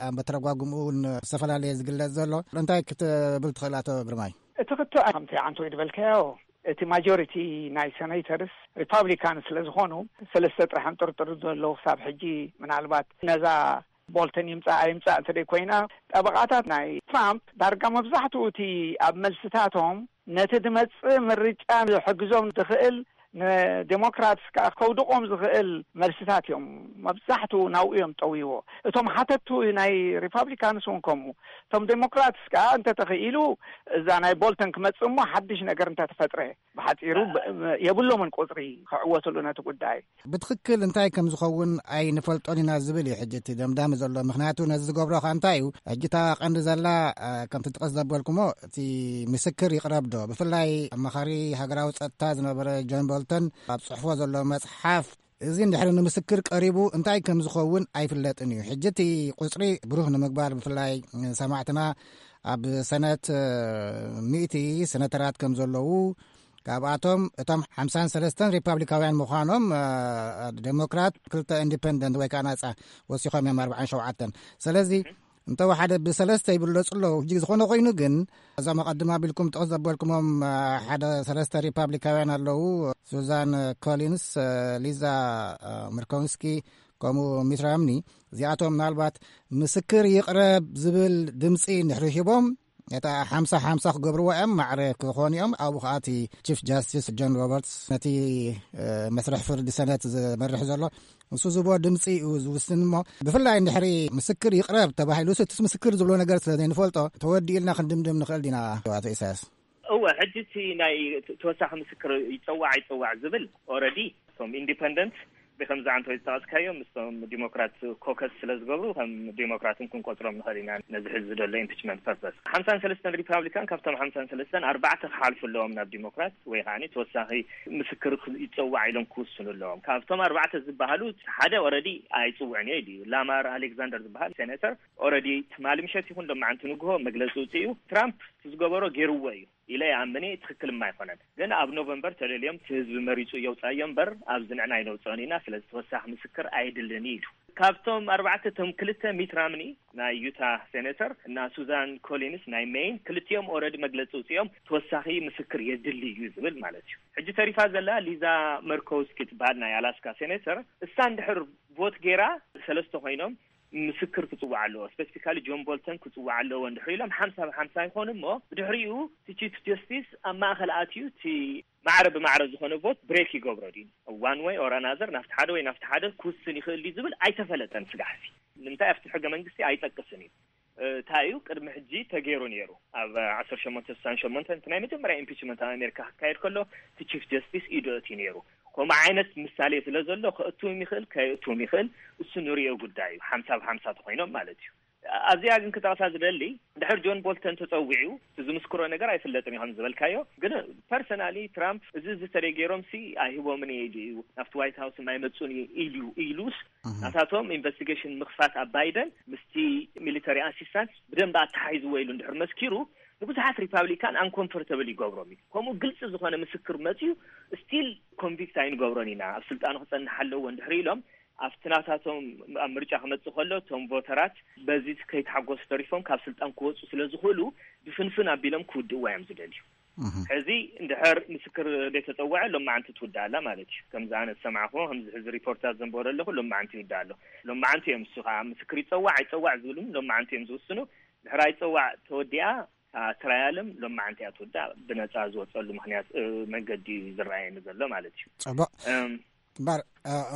ኣብ መተረጓጉምኡ እውን ዝተፈላለየ ዝግለጽ ዘሎ እንታይ ክትብል ትኽእል ኣቶ ግርማይ? እቲ ክትዕ ከምቲ ዓንቶ ዝበልካዮ፣ እቲ ማጆሪቲ ናይ ሰኔተርስ ሪፓብሊካን ስለ ዝኾኑ፣ ሰለስተ ጥራሕ እዮም ጥርጥር ዘለዉ ክሳብ ሕጂ። ምናልባት ነዛ ቦልተን ይምጻእ ኣይምጻእ እንተ ደይ ኮይና፣ ጠበቓታት ናይ ትራምፕ ዳርጋ መብዛሕትኡ እቲ ኣብ መልስታቶም ነቲ ድመጽእ ምርጫ ዝሕግዞም ዝኽእል፣ ንዴሞክራትስ ከኣ ከውድቖም ዝኽእል መልስታት እዮም መብዛሕትኡ ናብኡ እዮም ጠውይዎ። እቶም ሓተቱ ናይ ሪፓብሊካንስ እውን ከምኡ። እቶም ዴሞክራትስ ከኣ እንተ ተኽኢሉ እዛ ናይ ቦልተን ክመጽእ እሞ ሓድሽ ነገር እንተ ተፈጥረ፣ ብሓጺሩ ብ-፣ የብሎምን ቁጽሪ ክዕወትሉ ነቲ ጉዳይ። ብትኽክል እንታይ ከም ዝኸውን ኣይንፈልጦን ኢና ዝብል እዩ ሕጂ እቲ ደምዳሚ ዘሎ። ምኽንያቱ ነዚ ዝገብሮ ኸኣ እንታይ እዩ? ሕጂ እታ ቀንዲ ዘላ፣ አ፣ ከምቲ ጥቕስ ዘበልኩሞ፣ እቲ ምስክር ይቕረብ ዶ? ብፍላይ ኣማኻሪ ሃገራዊ ጸጥታ ዝነበረ ጆን ቦልተን ኣብ ጽሑፎ ዘሎ መጽሓፍ፣ እዚ እንድሕሪ ንምስክር ቀሪቡ እንታይ ከም ዝኸውን ኣይፍለጥን እዩ። ሕጂ እቲ ቁጽሪ ብሩህ ንምግባር፣ ብፍላይ ሰማዕትና ኣብ ሰነት፣ እ፣ ሚእቲ ሰነተራት ከም ዘለዉ፣ ካብኣቶም እቶም ሓምሳን ሰለስተን ሪፓብሊካውያን ምዃኖም፣ እ፣ ዴሞክራት፣ ክልተ ኢንዲፐንደንት ወይ ከዓ ናጻ ወሲኾም እዮም ኣርባዓን ሸውዓተን። ስለዚ እንተወሓደ ብሰለስተ ይብለጹ ኣለዉ። ሕጂ ዝኾነ ኮይኑ ግን፣ እዞም ኣቐድም ኣቢልኩም ጥቕስ ዘበልኩሞም፣ እ፣ ሓደ ሰለስተ ሪፓብሊካውያን ኣለዉ፣ ሱዛን ኮሊንስ፣ እ፣ ሊዛ፣ እ፣ ምርኮንስኪ፣ ከምኡ ሚት ራምኒ፣ እዚኣቶም ምናልባት ምስክር ይቕረብ ዝብል ድምፂ እንድሕሪ ሂቦም፣ እታ ሓምሳ ሓምሳ ክገብርዎ እዮም፣ ማዕረ ክኾኑ እዮም። ኣብኡ ኸዓ እቲ ቺፍ ጃስቲስ ጆን ሮበርትስ፣ ነቲ፣ እ፣ መስርሕ ፍርዲ ሰነት ዝመርሕ ዘሎ፣ ንሱ ዝቦ ድምፂ እዩ ዝውስን። እሞ ብፍላይ እንድሕሪ ምስክር ይቕረብ ተባሂሉ፣ እቲ ምስክር ዝብሎ ነገር ስለ ዘይንፈልጦ፣ ተወዲኡ ኢልና ክንድምድም ንኽእል ዲና፣ ኣቶ ኢሳያስ? እወ፣ ሕጂ እቲ ናይ ተ-፣ ተወሳኺ ምስክር ይጸዋዕ ኣይጸዋዕ ዝብል፣ ኦረዲ እቶም ኢንዲፐንደንት ብከምዚ ዓንተወይ ዝጠቐስካዮ ምስቶም ዲሞክራት ኮከስ ስለ ዝገብሩ ከም ዲሞክራትን ክንቆፅሮም ንኽእል ኢና። ነዚ ሕዚ ዘሎ ኢምፒችመንት ፐርፐስ ሓምሳን ሰለስተን ሪፓብሊካን ካብቶም ሓምሳን ሰለስተን ኣርባዕተ ክሓልፉ ኣለዎም ናብ ዲሞክራት ወይ ከዓ ተወሳኺ ምስክር ይፀዋዕ ኢሎም ክውስኑ ኣለዎም። ካብቶም ኣርባዕተ ዝበሃሉ ሓደ ኦረዲ ኣይፅውዕን እዩ ኢሉ ላማር ኣሌክዛንደር ዝበሃል ሴኔተር ኦረዲ ትማሊ ምሸት ይኹን ሎማዓንቲ ንግሆ መግለፂ ውፅኡ ትራምፕ ዝገበሮ ገይርዎ እዩ ኢለ ይኣምን እየ። ትኽክል ድማ ኣይኮነን። ግን ኣብ ኖቨምበር ተደልዮም እቲ ህዝቢ መሪፁ የውፃዮ እምበር ኣብዚ ንዕና ኣይነውፅኦን ኢና። ስለዚ ተወሳኺ ምስክር ኣይድልን እዩ ኢሉ። ካብቶም ኣርባዕተ እቶም ክልተ ሚት ራምኒ ናይ ዩታ ሴኔተር እና ሱዛን ኮሊንስ ናይ ሜይን ክልቲኦም ኦረዲ መግለፂ ውፅኦም ተወሳኺ ምስክር የድሊ እዩ ዝብል ማለት እዩ። ሕጂ ተሪፋ ዘላ ሊዛ መርኮውስኪ ትበሃል ናይ ኣላስካ ሴኔተር እሳ እንድሕር ቮት ገይራ ሰለስተ ኮይኖም ምስክር ክፅዋዕ ኣለዎ። ስፔሲፊካሊ ጆን ቦልተን ክፅዋዕ ኣለዎ እንድሕር ኢሎም ሓምሳ ብሓምሳ ይኾኑ እሞ ብድሕሪኡ እቲ ቺፍ ጀስቲስ ኣብ ማእኸል ኣትዩ እቲ ማዕረ ብማዕረ ዝኾነ ቮት ብሬክ ይገብሮ ድዩ ዋን ወይ ኦር ኣናዘር ናብቲ ሓደ ወይ ናብቲ ሓደ ክውስን ይኽእል ድዩ ዝብል ኣይተፈለጠን። ስጋሕሲ ንምንታይ ኣብቲ ሕገ መንግስቲ ኣይጠቅስን እዩ። እንታይ እዩ ቅድሚ ሕጂ ተገይሩ ነይሩ ኣብ ዓሰርተ ሸሞንተ ስሳን ሸሞንተ እቲ ናይ መጀመርያ ኢምፒችመንት ኣብ ኣሜሪካ ክካየድ ከሎ እቲ ቺፍ ጀስቲስ ኢዱ እቲ ነይሩ። ከምኡ ዓይነት ምሳሌ ስለ ዘሎ ከእትዎም ይኽእል ከየእትዎም ይኽእል። እሱ ንሪኦ ጉዳይ እዩ። ሓምሳ ብሓምሳ ተኮይኖም ማለት እዩ። ኣብዚኣ ግን ክጠቕሳ ዝደሊ ድሕር ጆን ቦልተን ተፀዊዑ ዝምስክሮ ነገር ኣይፍለጥን እዩ ከም ዝበልካዮ። ግን ፐርሰናሊ ትራምፕ እዚ እዚ ተደይ ገይሮም ሲ ኣይህቦምን እየ ኢሉ እዩ ናብቲ ዋይት ሃውስ የማይመፁን እዩ ኢሉ ኢሉስ ናታቶም ኢንቨስቲጌሽን ምኽፋት ኣብ ባይደን ምስቲ ሚሊተሪ ኣሲስታንስ ብደንብ ኣተሓሒዝዎ ኢሉ እንድሕር መስኪሩ ንብዙሓት ሪፓብሊካን ኣንኮምፎርተብል ይገብሮም እዩ። ከምኡ ግልፂ ዝኾነ ምስክር መፅዩ ስቲል ኮንቪክት ኣይንገብሮን ኢና ኣብ ስልጣኑ ክፀንሕ ኣለዎ እንድሕር ኢሎም ኣብቲ ናታቶም ኣብ ምርጫ ክመፅእ ከሎ እቶም ቮተራት በዚ ከይተሓጎሱ ተሪፎም ካብ ስልጣን ክወፁ ስለ ዝኽእሉ ብፍንፍን ኣቢሎም ክውድእዋ እዮም ዝደልዩ። ሕዚ እንድሕር ምስክር ዘይተፀወዐ ሎማዓንቲ ትውዳእ ኣላ ማለት እዩ። ከምዚ ኣነ ዝሰማዕኹዎ ከምዚ ሕዚ ሪፖርታት ዘንበሮ ኣለኹ ሎማዓንቲ ይውዳእ ኣሎ። ሎማዓንቲ እዮም እሱ ከዓ ምስክር ይፀዋዕ ኣይፀዋዕ ዝብሉ ሎማዓንቲ እዮም ዝውስኑ። ድሕር ኣይፀዋዕ ተወዲኣ ትራያልም ሎማዓንቲ እያ ትውዳእ። ብነፃ ዝወፀሉ ምክንያት መንገዲ እዩ ዝረኣየኒ ዘሎ ማለት እዩ። ፅቡቅ እምበር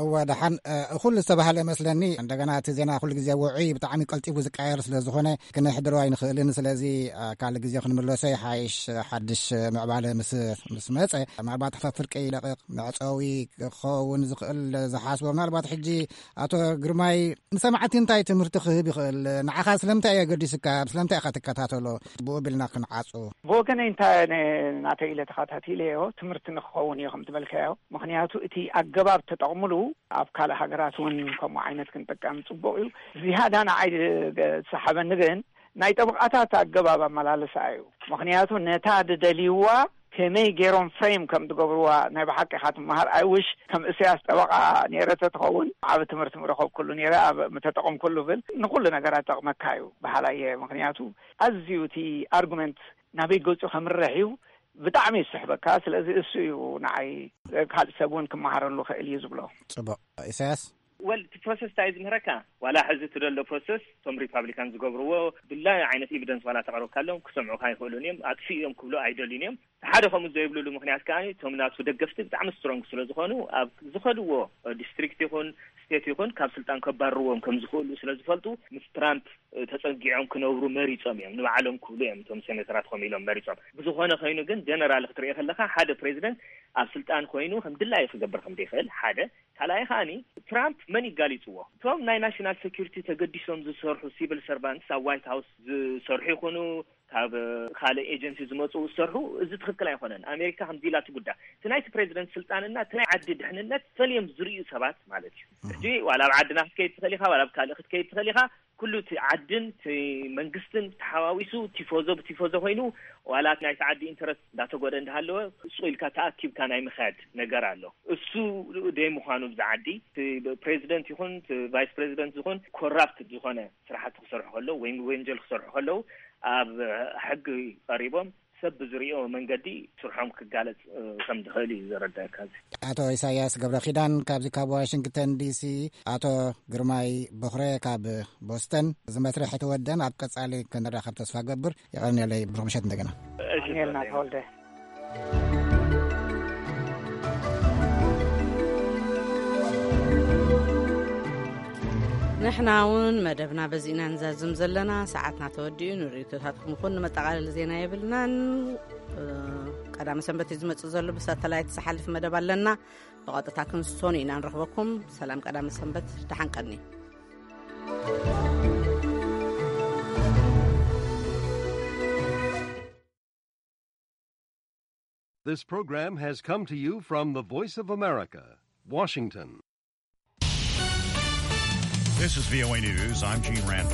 እወ ደሓን ኩሉ ዝተባህለ መስለኒ። እንደገና እቲ ዜና ኩሉ ግዜ ውዑይ ብጣዕሚ ቀልጢፉ ዝቀየር ስለ ዝኾነ ክነሕድሮ ኣይንኽእልን። ስለዚ ካልእ ግዜ ክንምለሶ ይሓይሽ። ሓድሽ ምዕባለ ምስ ምስ መፀ ምናልባት ሕታት ፍርቂ ይለቕቕ መዕፀዊ ክኸውን ዝኽእል ዝሓስቦ ምናልባት ሕጂ ኣቶ ግርማይ ንሰማዕቲ እንታይ ትምህርቲ ክህብ ይኽእል? ንዓኻ ስለምንታይ እየ ገዲስካ? ስለምንታይ ኢኻ ትከታተሎ? ብኡ ቢልና ክንዓፁ። ብወገነይ እንታይ ናተይ ኢለ ተኸታቲለዮ ትምህርቲ ንክኸውን እዮ ከም ዝበልካዮ። ምክንያቱ እቲ ኣገባብ ተጠቕምሉ ኣብ ካልእ ሃገራት እውን ከምኡ ዓይነት ክንጥቀም ፅቡቅ እዩ። ዝያዳ ንዓይ ዝሰሓበኒ ግን ናይ ጠበቃታት ኣገባብ ኣመላለሳ እዩ። ምክንያቱ ነታ ዝደልይዋ ከመይ ገይሮም ፍሬም ከም ዝገብርዋ ናይ ብሓቂ ኢኻ ትመሃር። ኣይ ውሽ ከም እሰያስ ጠበቃ ነይረ ተትኸውን ዓብ ትምህርቲ ምረኸብኩሉ ነይረ ኣብ ምተጠቐምኩሉ ብል ንኩሉ ነገራት ጠቕመካ እዩ በሃላይ እየ። ምክንያቱ ኣዝዩ እቲ ኣርጉመንት ናበይ ገፁ ከምርሕ እዩ ብጣዕሚ ይስሕበካ። ስለዚ እሱ እዩ ንዓይ ካልእ ሰብ እውን ክመሃረሉ ክእል እዩ ዝብሎ። ፅቡቅ። ኢሳያስ። ወል እቲ ፕሮሰስ እንታይ ዝምህረካ ዋላ ሕዚ እቲ ዘሎ ፕሮሰስ እቶም ሪፓብሊካን ዝገብርዎ ድላዩ ዓይነት ኤቪደንስ ዋላ ተቕረብካሎም ክሰምዑካ ኣይኽእሉን እዮም። ኣጥፊኡ እዮም ክብሉ ኣይደልዩን እዮም። ሓደ ከምኡ ዘይብሉሉ ምክንያት ከዓ እቶም ናቱ ደገፍቲ ብጣዕሚ ስትሮንግ ስለ ዝኾኑ ኣብ ዝኸድዎ ዲስትሪክት ይኹን ስቴት ይኹን ካብ ስልጣን ከባርርዎም ከም ዝኽእሉ ስለ ዝፈልጡ ምስ ትራምፕ ተፀጊዖም ክነብሩ መሪፆም እዮም። ንባዕሎም ክብሉ እዮም እቶም ሴኔተራት ከም ኢሎም መሪፆም። ብዝኾነ ኮይኑ ግን ጀነራል ክትሪኦ ከለካ ሓደ ፕሬዚደንት ኣብ ስልጣን ኮይኑ ከም ድላዩ ክገብር ከም ዘይክእል ሓደ ካልኣይ ከዓኒ ትራምፕ መን ይጋሊፅዎ? እቶም ናይ ናሽናል ሴኩሪቲ ተገዲሶም ዝሰርሑ ሲቪል ሰርቫንትስ ኣብ ዋይት ሃውስ ዝሰርሑ ይኹኑ ካብ ካልእ ኤጀንሲ ዝመፁ ዝሰርሑ እዚ ትኽክል ኣይኮነን። ኣሜሪካ ከምዚ ኢላ ትጉዳ። እቲ ናይቲ ፕሬዚደንት ስልጣንና እቲ ናይ ዓዲ ድሕንነት ፈልዮም ዝርእዩ ሰባት ማለት እዩ። ሕጂ ዋላ ኣብ ዓድና ክትከይድ ትኽእል ኢኻ ዋላ ኣብ ካልእ ክትከይድ ትኽእል ኢኻ። ኩሉ እቲ ዓድን እቲ መንግስትን ተሓዋዊሱ ቲፎዞ ብቲፎዞ ኮይኑ ዋላ ናይቲ ዓዲ ኢንተረስት እንዳተጎደ እንዳሃለወ ሱቕ ኢልካ ተኣኪብካ ናይ ምኻድ ነገር ኣሎ። እሱ ደይ ምዃኑ ብዛ ዓዲ ፕሬዚደንት ይኹን ቫይስ ፕሬዚደንት ዝኹን ኮራፕት ዝኾነ ስራሕቲ ክሰርሑ ከለዉ ወይ ወንጀል ክሰርሑ ከለዉ ኣብ ሕጊ ቀሪቦም ሰብ ብዝሪኦ መንገዲ ስርሖም ክጋለፅ ከም ዝኽእል እዩ ዘረዳእካ። እዚ ኣቶ ኢሳያስ ገብረ ኪዳን ካብዚ ካብ ዋሽንግተን ዲሲ፣ ኣቶ ግርማይ በኽረ ካብ ቦስተን። እዚ መስርሕ ተወደን ኣብ ቀጻሊ ክንራኸብ ተስፋ ገብር። የቐንየለይ። ብሩኽ ምሸት እንደገና። ዳንኤልና ተወልደ። ንሕና እውን መደብና በዚእና ንዛዝም ዘለና ሰዓትና ተወዲኡ። ንርእይቶታትኩም ይኹን ንመጠቓለሊ ዜና የብልናን። ቀዳመ ሰንበት እዩ ዝመፅእ ዘሎ። ብሳተላይት ዝሓልፍ መደብ ኣለና። ብቐጥታ ክንሶን ኢና ንረኽበኩም። ሰላም ቀዳመ ሰንበት፣ ደሓን ቀኒ። This program has come to you from the Voice of America, Washington. This is V O A News. I'm Gene Randall.